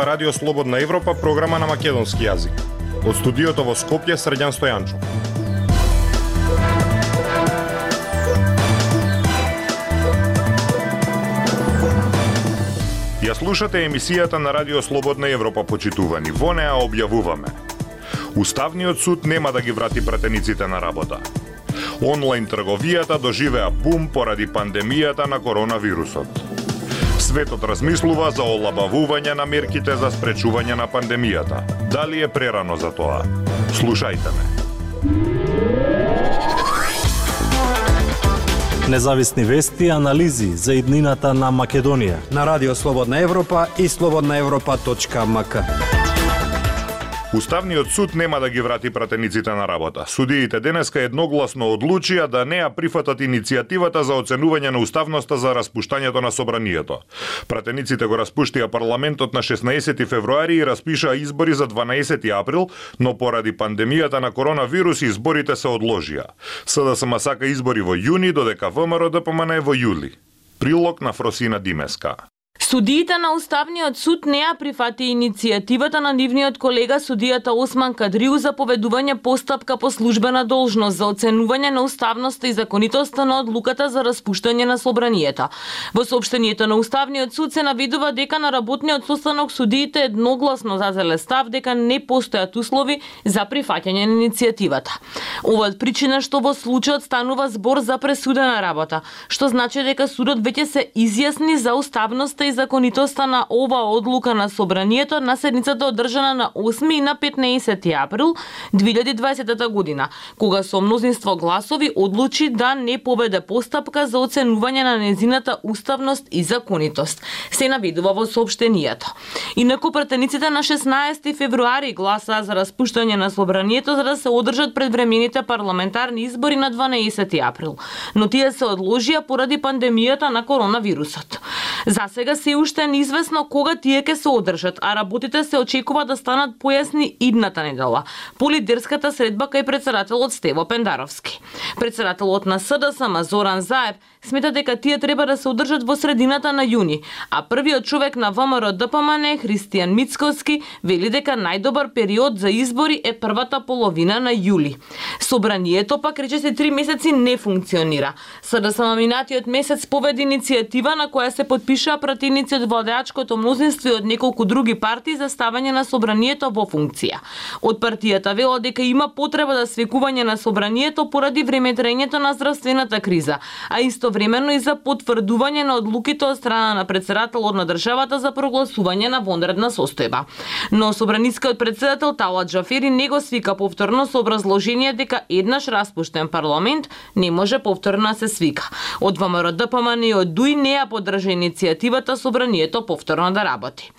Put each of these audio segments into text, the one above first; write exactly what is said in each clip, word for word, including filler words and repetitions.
на Радио Слободна Европа, програма на македонски јазик. Од студиото во Скопје, Срđan Стојанчов. Ја слушате емисијата на Радио Слободна Европа, почитувани. Во неа објавуваме: Уставниот суд нема да ги врати пратениците на работа. Онлайн трговијата доживеа бум поради пандемијата на коронавирусот. Светот размислува за олабавување на мерките за спречување на пандемијата. Дали е прерано за тоа? Слушајте ме. Независни вести и анализи за иднината на Македонија на Радио Слободна Европа и слободна европа точка ем ка. Уставниот суд нема да ги врати пратениците на работа. Судиите денеска едногласно одлучија да не ја прифатат иницијативата за оценување на уставноста за распуштањето на собранието. Пратениците го распуштија парламентот на шеснаесети февруари и распишаа избори за дванаесети април, но поради пандемијата на коронавирус изборите се одложија. СДСМ сака избори во јуни, додека ВМРО Д П М Н е во јули. Прилог на Фросина Димеска. Судиите на Уставниот суд не ја прифати иницијативата на нивниот колега судијата Осман Кадриу за поведување постапка по службена должност за оценување на уставноста и законитоста на одлуката за распуштање на собранието. Во соопштението на Уставниот суд се наведува дека на работниот состанок судиите едногласно зазеле став дека не постојат услови за прифаќање на иницијативата. Ова е причина што во случајот станува збор за пресудена работа, што значи дека судот веќе се изјасни за уставноста и законитоста на ова одлука на собранието на седницата одржана на осми и на петнаесети април две илјади и дваесета година, кога со мнозинство гласови одлучи да не поведе постапка за оценување на незината уставност и законитост, се наведува во соопштението. Инаку пратениците на шеснаесети февруари гласаа за распуштање на собранието за да се одржат предвремените парламентарни избори на дванаесети април, но тие се одложија поради пандемијата на коронавирусот. За сега се уште неизвестно кога тие ќе се одржат, а работите се очекува да станат појасни идната недела по лидерската средба кај председателот Стево Пендаровски. Председателот на СДСМ Зоран Заев смета дека тие треба да се одржат во средината на јуни, а првиот човек на ВМРО Д П М Н Христијан Мицковски вели дека најдобар период за избори е првата половина на јули. Собранието пак речиси три месеци не функционира. СДСМ минатиот месец поведе иницијатива на која се подпишаа пратеници од владеачкото мнозинство и од неколку други партии за ставање на собранието во функција. Од партијата велат дека има потреба за свекување на собранието поради времетраењето на здравствената криза, а истовремено и за потврдување на одлуките од страна на председателот на државата за прогласување на вонредна состојба. Но собранискиот председател Талат Џафери не го свика повторно со образложение дека еднаш распуштен парламент не може повторно да се свика. Од ВМРО Д П М Н и од Д У И не ја поддржа иницијативата собранието повторно да работи.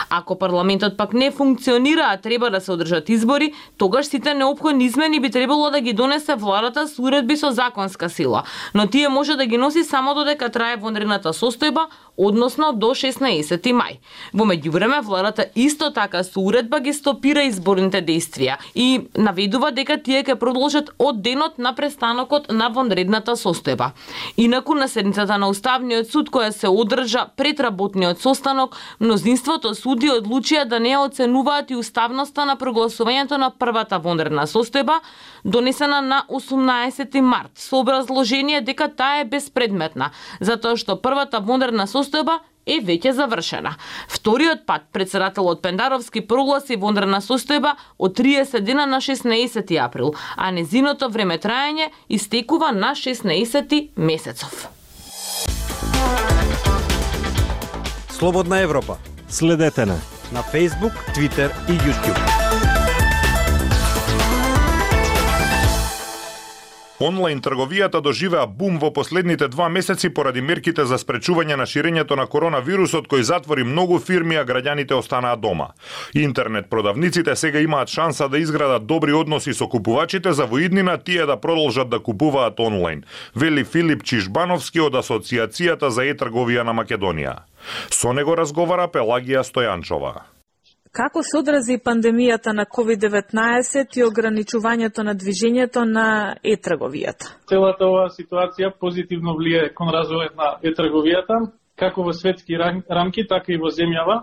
Ако парламентот пак не функционира, а треба да се одржат избори, тогаш сите неопходни измени би требало да ги донесе владата со уредби со законска сила, но тие може да ги носи само додека трае вонредната состојба, односно до шеснаесети мај. Во меѓувреме, владата исто така со уредба ги стопира изборните дејствија и наведува дека тие ќе продолжат од денот на престанокот на вонредната состојба. Инаку на седницата на Уставниот суд која се одржа пред работниот состанок, мнозинството суди одлучија да не оценуваат и уставноста на прогласувањето на првата вонредна состојба, донесена на осумнаесети март, со образложение дека таа е безпредметна, затоа што првата вонредна состојба е веќе завршена. Вториот пат председателот Пендаровски прогласи вонредна состојба од триесет дена на шеснаесети април, а незиното времетраење истекува на шеснаесети месецов. Слободна Европа. Следете на на Facebook, Twitter и YouTube. Онлайн трговијата доживеа бум во последните два месеци поради мерките за спречување на ширењето на коронавирусот кој затвори многу фирми, а граѓаните останаа дома. Интернет продавниците сега имаат шанса да изградат добри односи со купувачите за во иднина тие да продолжат да купуваат онлайн, вели Филип Чишбановски од Асоциацијата за е-трговија на Македонија. Со него разговара Пелагија Стојанчова. Како се одрази пандемијата на ковид деветнаесет и ограничувањето на движењето на е-трговијата? Целата оваа ситуација позитивно влие кон развојот на е-трговијата, како во светски рамки, така и во земјава.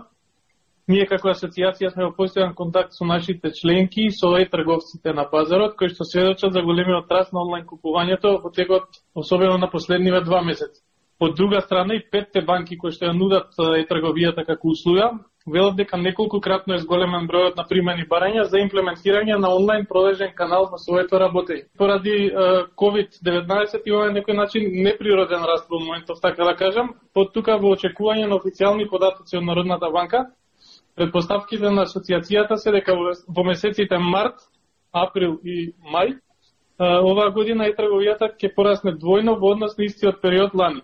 Ние како асоциација сме во постојан контакт со нашите членки и со е-трговците на пазарот, кои што сведочат за големиот раст на онлайн купувањето во текот, особено на последниве два месеци. Од друга страна и петте банки кои што ја нудат е-трговијата како услуга, велат дека неколкократно е зголемен бројот на примани барања за имплементирање на онлайн продажен канал во своето работење. Поради ковид деветнаесет има на некој начин неприроден раст во моментов, така да кажам, под тука во очекување на официјални податоци од Народната банка. Предпоставките на асоциацијата се дека во месеците март, април и мај оваа година е-трговијата ќе порасне двојно во однос на истиот период лани.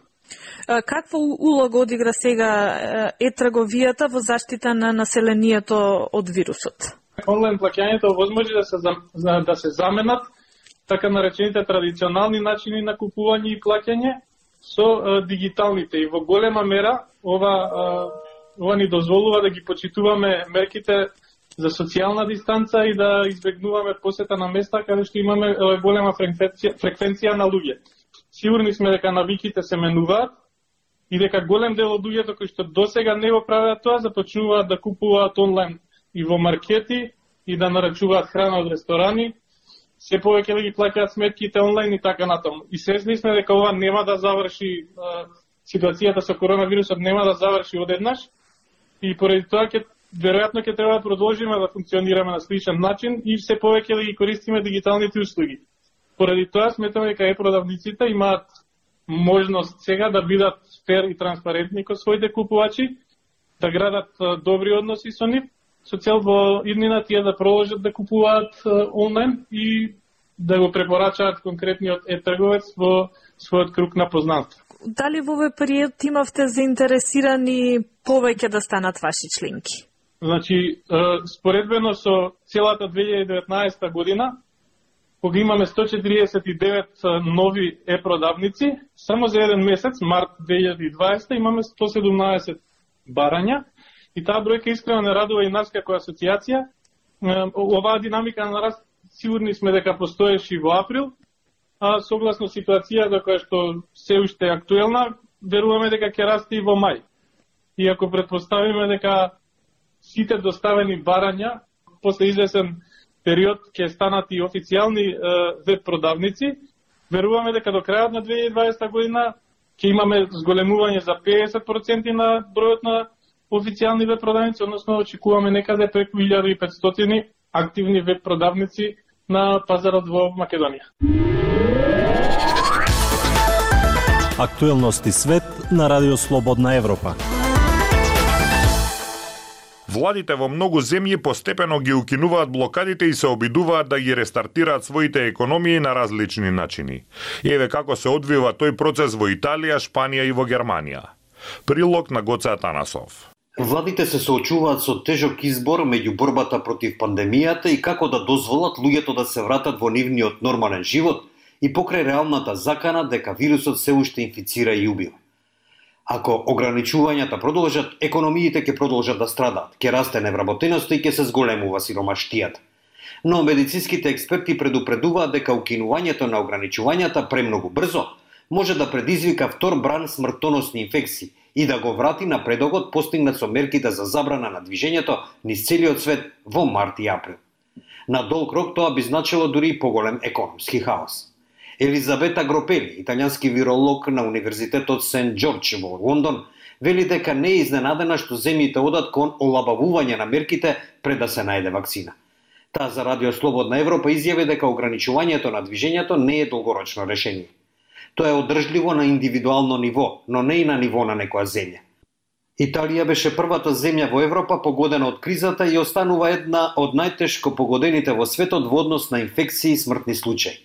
Каква улога одигра сега е-трговијата во заштита на населението од вирусот? Онлайн плаќањето возможи да се да се заменат така наречените традиционални начини на купување и плаќање со дигиталните, и во голема мера ова ова ни дозволува да ги почитуваме мерките за социјална дистанца и да избегнуваме посета на места каде што имаме голема фреквенција, фреквенција на луѓе. Сигурни сме дека навиките се менуваат и дека голем дел од луѓето кои што досега не го правеа тоа, започнуваат да купуваат онлайн и во маркети и да нарачуваат храна од ресторани, се повеќе да ги плаќаат сметките онлайн и така натаму. И свесни сме дека ова нема да заврши, ситуацијата со коронавирусот нема да заврши одеднаш, и поради тоа ќе веројатно ќе треба да продолжиме да функционираме на сличен начин и се повеќе да ги користиме дигиталните услуги. Поради тоа сметаме дека е-продавниците имаат можност сега да бидат фер и транспарентни кон своите купувачи, да градат добри односи со нив, со цел во иднина тие да продолжат да купуваат онлайн и да го препорачаат конкретниот е-трговец во својот круг на познанство. Дали во овој период имавте заинтересирани повеќе да станат ваши членки? Значи, споредбено со целата две илјади и деветнаесета година, кога имаме сто четиридесет и девет нови е-продавници, само за еден месец, март две илјади и дваесета, имаме сто седумнаесет барања, и таа бројка искрено не радува и нас како асоциација. Оваа динамика на раст сигурни сме дека постоеше и во април, а согласно ситуацијата која што се уште е актуелна, веруваме дека ќе расте и во мај. И ако претпоставиме дека сите доставени барања после извесен период ќе станат и официјални веб продавници, веруваме дека до крајот на две илјади и дваесета година ќе имаме зголемување за педесет проценти на бројот на официјални веб продавници, односно очекуваме некаде преку илјада и петстотини активни веб продавници на пазарот во Македонија. Актуелности свет на Радио Слободна Европа. Владите во многу земји постепено ги укинуваат блокадите и се обидуваат да ги рестартираат своите економии на различни начини. Еве како се одвива тој процес во Италија, Шпанија и во Германија. Прилог на Гоце Атанасов. Владите се соочуваат со тежок избор меѓу борбата против пандемијата и како да дозволат луѓето да се вратат во нивниот нормален живот и покрај реалната закана дека вирусот се уште инфицира и убива. Ако ограничувањата продолжат, економиите ќе продолжат да страдаат, ќе расте невработеноста и ќе се зголемува сиромаштијата. Но медицинските експерти предупредуваат дека укинувањето на ограничувањата премногу брзо може да предизвика втор бран смртоносни инфекции и да го врати на предогот постигнат со мерките за забрана на движењето низ целиот свет во март и април. На долг рок тоа би значило дури и поголем економски хаос. Елизабета Гропели, италијански виролог на Универзитетот Сент Џорџ во Лондон, вели дека не е изненадена што земјите одат кон олабавување на мерките пред да се најде вакцина. Таа за Радио Слободна Европа изјави дека ограничувањето на движењето не е долгорочно решение. Тоа е одржливо на индивидуално ниво, но не и на ниво на некоја земја. Италија беше првата земја во Европа погодена од кризата и останува една од најтешко погодените во светот во однос на инфекции и смртни случаи.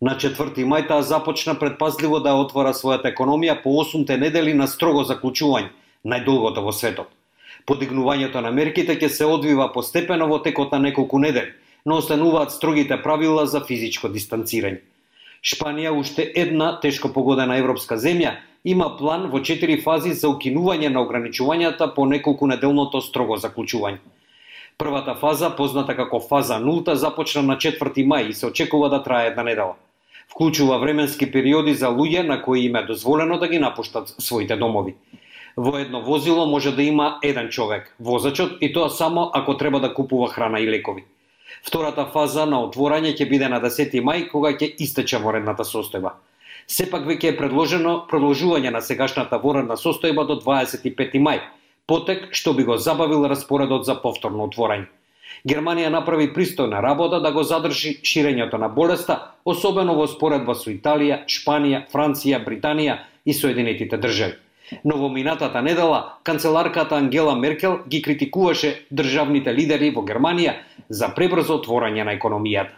На четврти мај таа започна предпазливо да отвора својата економија по осумте недели на строго заклучување, најдолгото во светот. Подигнувањето на мерките ќе се одвива постепено во текот на неколку недели, но остануваат строгите правила за физичко дистанцирање. Шпанија, уште една тешко погодена европска земја, има план во четири фази за укинување на ограничувањата по неколку неделното строго заклучување. Првата фаза, позната како фаза нулта, започна на четврти мај и се очекува да трае една недела. Вклучува временски периоди за луѓе на кои им е дозволено да ги напуштат своите домови. Во едно возило може да има еден човек, возачот, и тоа само ако треба да купува храна и лекови. Втората фаза на отворање ќе биде на десети мај, кога ќе истече воредната состојба. Сепак веќе е предложено продолжување на сегашната воредна состојба до дваесет и пети мај, потек што би го забавил распоредот за повторно отворање. Германија направи пристојна работа да го задржи ширењето на болеста, особено во споредба со Италија, Шпанија, Франција, Британија и Соединетите држави. Но во минатата недела, канцеларката Ангела Меркел ги критикуваше државните лидери во Германија за пребрзо отворање на економијата.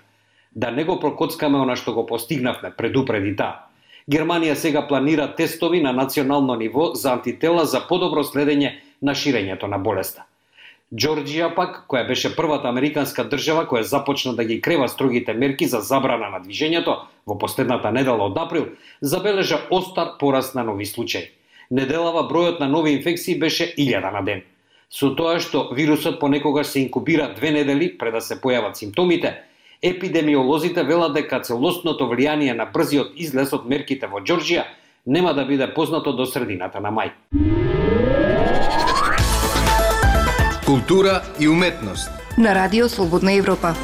Да не го прокоцкаме она што го постигнавме, предупреди таа. Германија сега планира тестови на национално ниво за антитела за подобро следење на ширењето на болеста. Џорџија пак, која беше првата американска држава која започна да ги крева строгите мерки за забрана на движењето во последната недела од април, забележа остар пораст на нови случаи. Неделава бројот на нови инфекции беше илјада на ден. Со тоа што вирусот понекогаш се инкубира две недели пред да се појават симптомите, епидемиолозите велат дека целосното влијание на брзиот излез од мерките во Џорџија нема да биде познато до средината на мај. Култура и уметност на Радио Слободна Европа.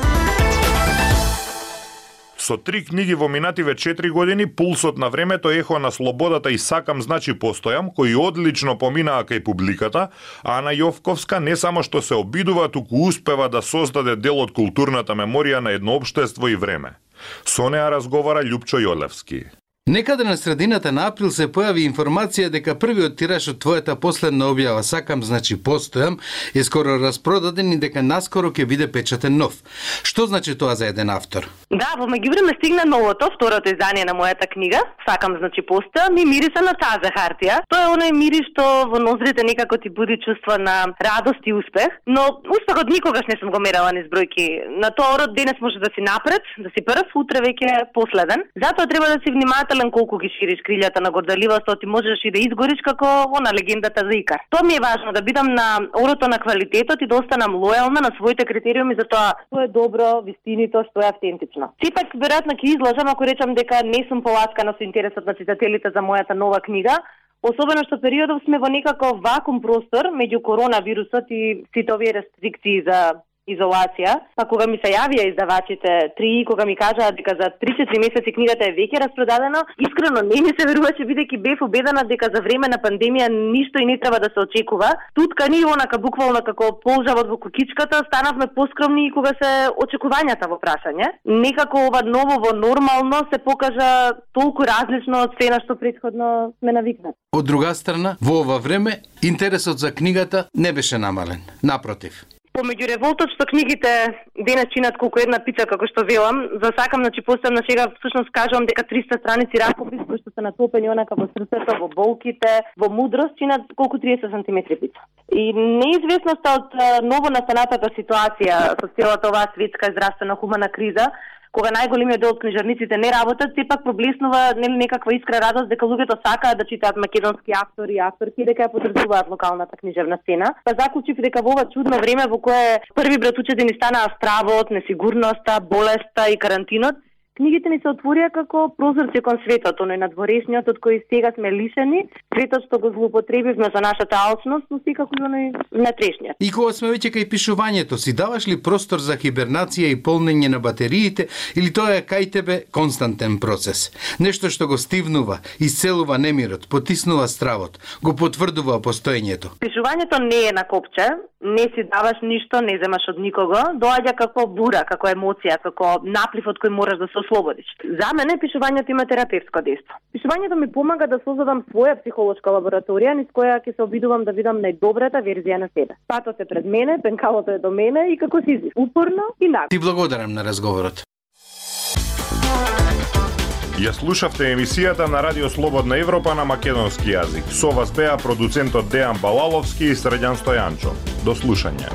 Со три книги во минативе четири години, Пулсот на времето, Ехо на слободата и Сакам значи постојам, кои одлично поминаа кај публиката, а Ана Јовковска не само што се обидува, туку успева да создаде дел од културната меморија на едно општество и време. Со неа разговара Љупчо Јолевски. Некаде на средината на април се појави информација дека првиот тираж од твојата последна објава Сакам значи постојам е скоро распродаден и дека наскоро ќе биде печатен нов. Што значи тоа за еден автор? Да, во меѓувреме стигна новото, второто издание на мојата книга, Сакам значи постојам, и мириса на таза хартија. Тоа е оној мирис што во ноздрите некако ти буди чувство на радост и успех, но успехот никогаш не сум го мерала низ бројки. На тоа род денес може да си напред, да си прв, утре веќе последен. Затоа треба да си внимателен колку ги шириш крилјата на горделивост, ти можеш и да изгориш како она легендата за Икар. Тоа ми е важно, да бидам на орото на квалитетот и да останам лојална на своите критериуми за тоа што е добро, вистинито, што е автентично. Сепак веројатно ќе излажам ако речам дека не сум поласкана со интересот на читателите за мојата нова книга, особено што периодов сме во некако вакуум простор меѓу коронавирусот и сите овие рестрикции за изолација, па кога ми се јавија издавачите три, кога ми кажаа дека за три-четири месеци книгата е веќе распродадена, искрено не ми се веруваше, бидејќи бев убедена дека за време на пандемија ништо и не треба да се очекува. Туткани онака буквално како полжавот во кукичката, станавме поскромни и кога се очекувањата во прашање. Некако ова ново во нормално се покажа толку различно од се на што претходно сме навикнати. Од друга страна, во ова време интересот за книгата не беше намален. Напротив. Помеѓу револтот што книгите денес чинат колку една пица, како што велам, за Сакам значи постојам на сега, всушност кажувам дека триста страници ракопис кои што се натопени онака во срцето, во болките, во мудрост, чинат колку триесет сантиметри пица. И неизвестноста од ново настанатата ситуација со целата оваа светска здравствена хумана криза, кога најголемиот дел од книжарниците не работат, сепак проблеснува нели некаква искра радост дека луѓето сакаат да читаат македонски автори и авторки, дека ја подржуваат локалната книжевна сцена. Па заклучив дека во ова чудно време во кое први братучеди ни станаа стравот, несигурноста, болеста и карантинот, книгите ни се отворија како прозорци кон светот, оној надворешниот од кој сега сме лишени, светот што го злоупотребивме за нашата алчност, но секако и оној внатрешниот. И кога сме веќе кај пишувањето, си даваш ли простор за хибернација и полнење на батериите, или тоа е кај тебе константен процес? Нешто што го стивнува, исцелува немирот, потиснува стравот, го потврдува постоењето. Пишувањето не е на копче, не си даваш ништо, не земаш од никого, доаѓа како бура, како емоција, како наплив од кој мораш да се ослободиш. За мене пишувањето има терапевтско дејство. Пишувањето ми помага да создадам своја психолошка лабораторија низ која ќе се обидувам да видам најдобрата верзија на себе. Патот е пред мене, пенкалото е до мене и како си излиш, упорно и нагло. Ти благодарам на разговорот. Ја слушавте емисијата на Радио Слободна Европа на македонски јазик. Со вас беа продуцентот Дејан Балаловски и Средјан Стојанчо. До слушање.